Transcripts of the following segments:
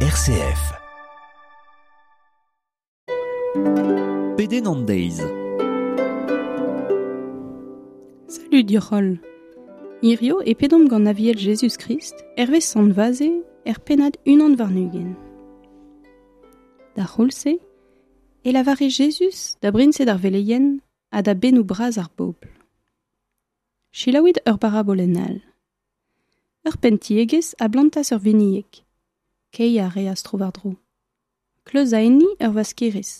RCF. Pedenn an deiz. Salut dioc'h Hirio e pedomp gant aviel Jezuz-Krist hervez sant Vaze er pennad unan warn-ugent. D'ar c'houlz-se e lavare Jezuz da briñsed ar veleien ha da bennoù bras ar bobl. Selaouit ur barabolenn all. Ur penn-tiegezh a blantas ur vinieg. Keiñ a reas tro-war-dro. Kleuzañ enni ur waskerez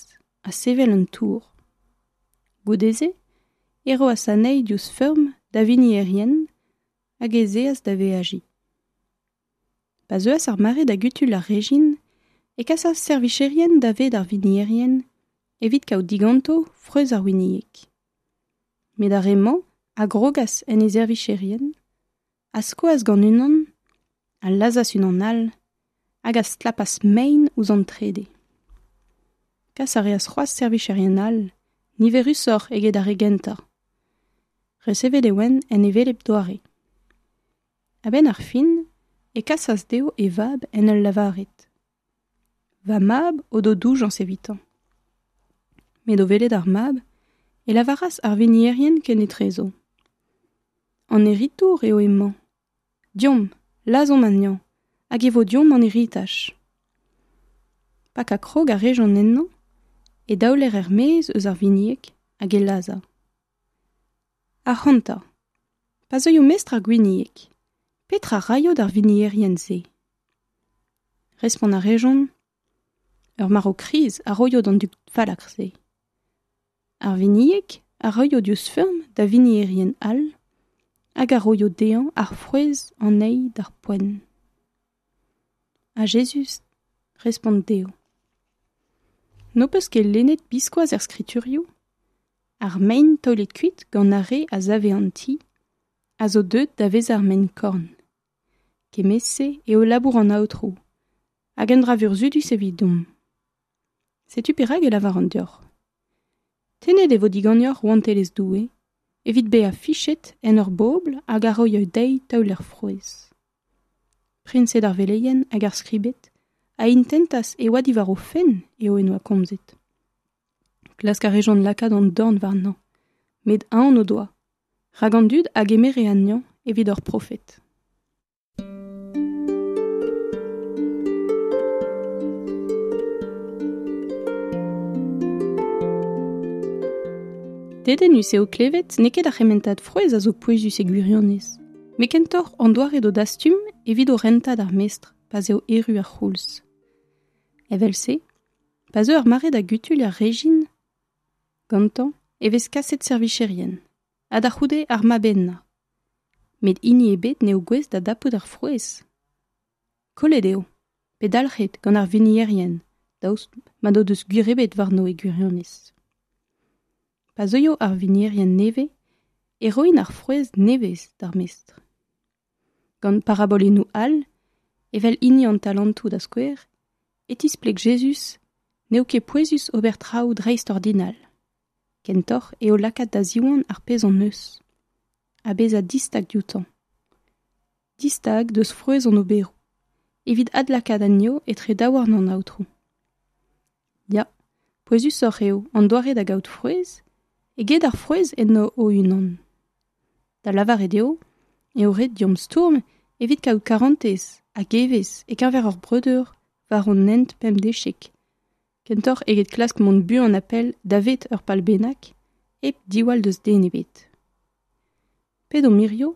ha sevel un tour. Goude-se e roas anezhi diouzh feurm da winierien hag ez eas da veajiñ. Pa zeuas ar mare da gutul ar rejin e kasas servicherien davet ar winierien evit kaout diganto frouezh ar winieg. Met ar re-mañ a grogas en e servicherien, a skoas gant unan, a lazhas unan all, hag a stlapas mein ouzh an trede. Kas a reas c'hoazh servicherien all, niverusoc'h eget ar re gentañ. Resevet e oant en hevelep doare. A-benn ar fin e kasas dezho e vab en ul lavaret Va mab o do doujañs evitañ. Met o welet ar mab e lavaras ar winierien kenetrezo. An heritour eo hemañ. Deomp, lazhomp anezhañ, hag e vo deomp an heritaj. Pakañ krog a rejont ennañ, e daoler er-maez eus ar winieg hag e lazhañ. Ac'hanta, pa zeuio mestr ar gwinieg, petra raio d'ar winierien-se? Respont a rejont, ur marv kriz a roio d'an dud fallakr-se. Ar winieg a roio diouzh feurm da winierien all hag a roio dezhañ ar frouezh anezhi d'ar poent. Ha Jezuz respont dezho. N'ho peus ket lennet biskoazh er skriturioù? Ar mein taolet kuit gant ar re a save an ti a zo deuet da vezañ ar mein-korn. Kement-se eo labour an Aotrou, hag un dra vurzhudus evidomp. Setu perak e lavaran deoc'h. Tennet e vo diganeoc'h rouantelezh Doue evit bezañ fichet en ur bobl hag a roio dezhi taoler frouezh. Priñsed ar veleien hag ar skribed a intentas e oa diwar o fenn eo en doa komzet. Klask a rejont lakaat an dorn warnañ, met aon o doa, rak an dud a gemere anezhañ evit ur profed. Dedennus eo klevet n'eo ket ar c'hementad frouezh a zo pouezus e gwirionez, met kentoc'h an doare d'o dastum evit o rentañ d'ar mestr pa'z eo erru ar c'houlz. Evel-se, pa zeu ar mare da gutuilh ar rejin, gantañ e vez kaset servicherien, ha da c'houde ar mab-henañ. Met hini ebet n'eo gouest da dapout ar frouezh. Kollet eo, pe dalc'het gant ar winierien, daoust ma n'o deus gwir ebet warno e gwirionez. Pa zeuio ar winierien nevez e roint ar frouezh nevez d'ar mestr. Gant parabolennoù all, evel hini an talantoù da skouer, e tispleg Jezuz n'eo ket pouezus ober traoù dreistordinal. Kentoc'h eo lakaat da ziwan ar pezh hon eus, ha bezañ distag dioutañ. Distag deus frouezh hon oberoù, evit adlakaat anezho etre daouarn an Aotrou. Ya, pouezusoc'h eo an doare da gaout frouezh eget ar frouezh enno o-unan. Da lavaret eo eo ret deomp stourm evit kaout karantez hag evezh e-keñver hor breudeur war hon hent pemdeziek, kentoc'h eget klask mont buan ha pell davet ur pal bennak hep diwall deus den ebet. Pedomp hirio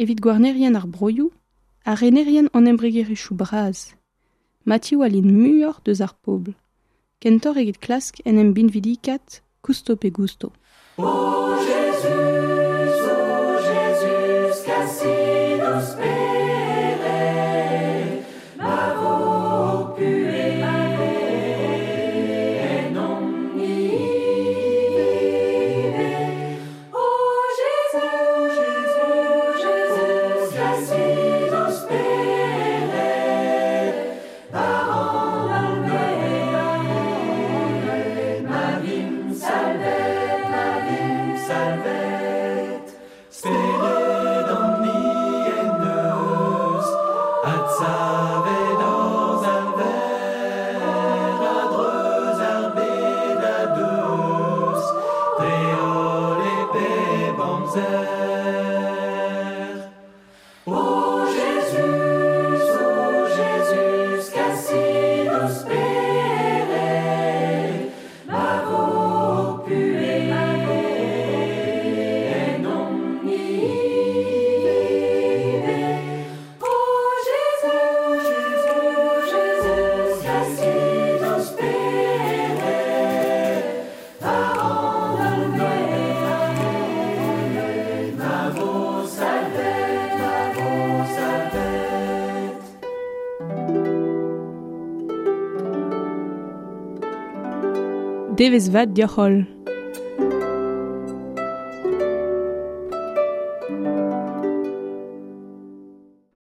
evit gouarnerien ar broioù ha renerien an embregerezhioù bras, ma tiwallint muioc'h deus ar pobl, kentoc'h eget klask en em binvidikaat kousto pe gousto. O Jezuz, o Jezuz, kasit ho spered, ma vo ho puhez ennomp-ni ivez. O Jezuz, Jezuz, kasit ho spered, war an holl bed, ma vimp salvet, ma vimp salvet. Devezh vat deoc'h holl.